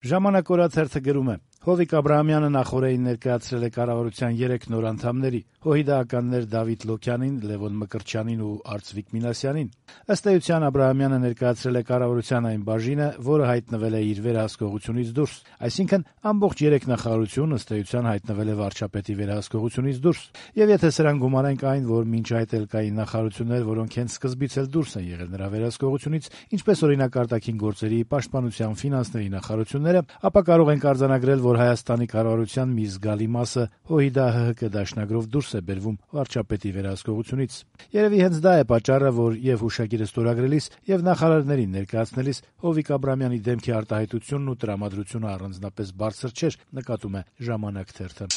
Ժամանակ օրաթերթը գրում է. Հովիկ Աբրահամյանը նախօրեին ներկայացրել է կառավարության 3 նոր անդամների՝ հոհիդաականներ Դավիթ Լոքյանին, Լևոն Մկրտչյանին ու Արծվիկ Մինասյանին։ Ըստ էության Աբրահամյանը ներկայացրել է կառավարության այն բաժինը, որը հայտնվել է իր վերահսկողությունից դուրս, այսինքն ամբողջ 3 նախարարություն ըստ էության հայտնվել է վարչապետի վերահսկողությունից դուրս։ Եվ եթե սրան գումարենք այն, որ մինչ այդ էլ կային նախարարություններ, որոնք հենց սկզբից էլ դուրս են եղել նրա վերահսկողությունից, ինչպես օրինակ արտաքին գործերի, պաշտպանության, ֆինանսների նախարարությունները, ապա կարող ենք արձանագրել, որ Հայաստանի կառավարության մի զգալի մասը հոհիդա-ՀՀԿ դաշնագրով դուրս է բերվում վարչապետի վերահսկողությունից։ Երևի հենց դա է պատճառը, որ եւ հուշագիրը ստորագրելիս եւ նախարարներին ներկայացնելիս Հովիկ Աբրահամյանի դեմքի արտահայտությունն ու տրամադրությունը առանձնապես բարձր չէր, նկատում է «Ժամանակ» թերթը։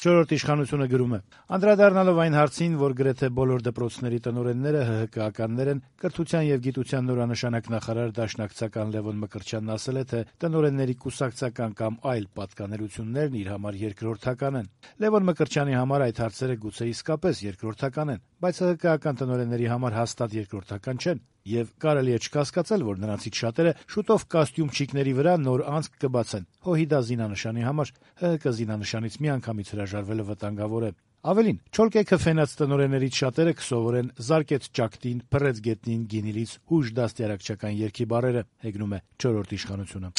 Չորրորդ իշխանությունը գրում է. անդրադառնալով այն հարցին, որ գրեթե բոլոր դպրոցների տնօրենները ՀՀԿ-ականներ են, կրթության եւ գիտության նորանշանակ նախարար դաշնակցական Լևոն Մկրտչյանն ասել է, թե տնօրենների կուսակցական կամ այլ պատկանելություններն իր համար երկրորդական են։ Լևոն Մկրտչյանի համար այդ հարցերը գուցե իսկապես երկրորդական են, բայց ՀՀԿ-ական տնօրենների համար հաստատ երկրորդական չեն։ Եվ կարելի է չկասկածել, որ նրանցից շատերը շուտով կոստյումչիկների վրա նոր անցք կբացեն հոհիդա զինանշանի համար։ ՀՀԿ զինանշանից միանգամից հրաժարվելը վտանգավոր է։ Ավելին, չոլկեքը ֆենած տնօրեններից շատերը կսովորեն «զարկեց ճակտին, փռեց գետնին, գինիլից» հույժ դաստիարակչական երգի բառերը, հեգնում է չորրորդ իշխանությունը։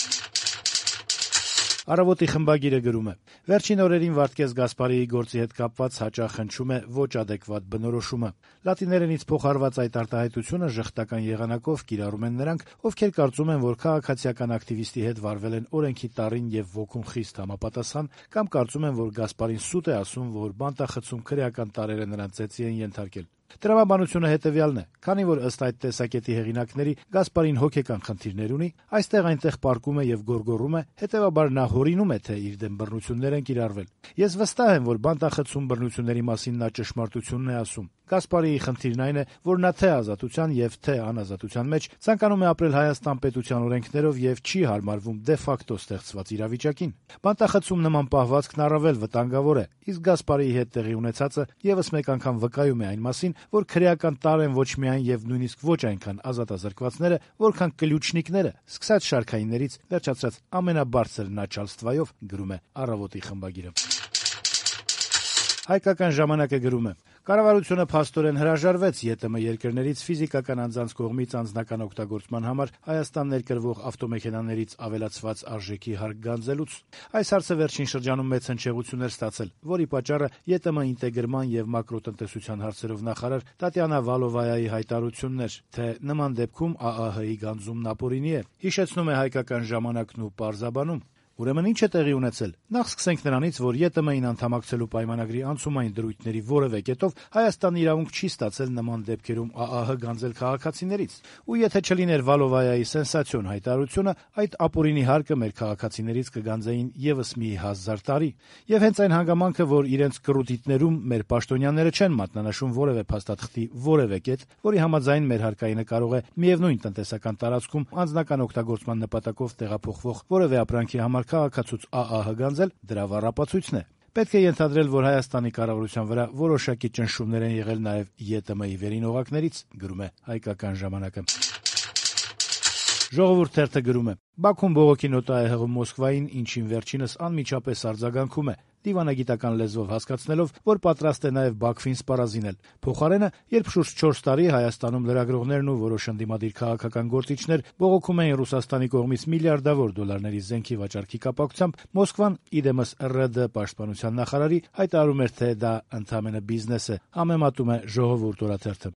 Առավոտի խմբագիրը գրում է. վերջին օրերին Վարդգես Գասպարիի գործի հետ կապված հաճախ հնչում է ոչ ադեկվատ բնորոշումը։ Լատիներենից փոխարված այդ արտահայտությունը ժխտական եղանակով կիրառում են նրանք, ովքեր կարծում են, որ քաղաքացիական ակտիվիստի հետ վարվել են օրենքի տառին եւ ոգուն խիստ համապատասխան, կամ կարծում են, որ Գասպարին սուտ է ասում, որ բանտախցում քրեական տարրերը նրան ծեծի են ենթարկել։ Տրամաբանությունը հետեւյալն է. քանի որ ըստ այդ տեսակետի հեղինակների Գասպարին հոգեկան խնդիրներ ունի, այստեղ-այնտեղ պառկում է եւ գոռգոռում է, հետեւաբար նա հորինում է, թե իր դեմ բռնություններ են կիրառվել։ Ես վստահ եմ, որ բանտախցում բռնությունների մասին նա ճշմարտությունն է ասում։ Գասպարիի խնդիրն այն է, որ նա թե ազատության եւ թե անազատության մեջ ցանկանում է ապրել Հայաստան պետության օրենքներով եւ չի հարմարվում դե ֆակտո ստեղծված իրավիճակին։ Բանտախցում նման պահվածքն առավել վտանգավոր է, իսկ Գասպարիի հետ տեղի ունեցածը եւս մեկ անգամ վկայում է այն մասին, որ քրեական տար են ոչ միայն եւ նույնիսկ ոչ այնքան ազատազրկվածները, որքան կլյուչնիկները, սկսած շարքայիններից վերջացած ամենաբարձր начальствայով, գրում է Առավոտի խմբագիրը։ Հայկական ժամանակը գրում է. կառավարությունը փաստորեն հրաժարվեց ԵՏՄ երկրներից ֆիզիկական անձանց կողմից անձնական օգտագործման համար Հայաստան ներկրվող ավտոմեքենաներից ավելացված արժեքի հարկ գանձելուց։ Այս հարցը վերջին շրջանում մեծ հնչեղություն էր ստացել, որի պատճառը ԵՏՄ ինտեգրման եւ մակրոտնտեսության հարցերով նախարար Տատյանա Վալովայայի հայտարարությունն էր, թե նման դեպքում ԱԱՀ-ի գանձումն ապօրինի է։ Հիշեցնում է Հայկական ժամանակն ու պարզաբանում. Ուրեմն ինչ է տեղի ունեցել։ Նախ սկսենք նրանից, որ ԵՏՄ-ին անդամակցելու պայմանագրի անցումային դրույթների որևէ կետով Հայաստանը իրավունք չի ստացել նման դեպքերում ԱԱՀ գանձել քաղաքացիներից։ Ու եթե չլիներ Վալովայայի սենսացիոն հայտարարությունը, այդ ապօրինի հարկը մեր քաղաքացիներից կգանձեին եւս մի 1000 տարի։ Եվ հենց այն հանգամանքը, որ իրենց կռուտիտներում մեր պաշտոնյաները չեն մատնանշում որևէ փաստաթղթի որևէ կետ, որի համաձայն մեր հարկայինը կարող է միևնույն տնտեսական տարածքում անձնական օգտագործման նպատակով տեղափոխվող որևէ ապրանքի համար քաղաքացուց ԱԱՀ գանձել, դրա վառապացույցն է։ Պետք է ենթադրել, որ Հայաստանի կառավարության վրա որոշակի ճնշումներ են եղել նաև ԵՏՄ-ի վերին օղակներից, գրում է Հայկական ժամանակը։ Ժողովուրդ թերթը գրում է. Բաքուն բողոքի նոտա է հղում Մոսկվային, ինչին վերջինս անմիջապես արձագանքում է, դիվանագիտական լեզվով հասկացնելով, որ պատրաստ է նաև Բաքվին սպառազինել։ Փոխարենը, երբ շուրջ 4 տարի Հայաստանում լրագրողներն ու որոշ ընդդիմադիր քաղաքական գործիչներ բողոքում էին Ռուսաստանի կողմից միլիարդավոր դոլարների զենքի վաճառքի կապակցությամբ, Մոսկվան, իդեմս ՌԴ պաշտպանության նախարարի հայտարարում էր, թե դա ընդամենը բիզնես է, համեմատում է Ժողովուրդ օրաթերթը։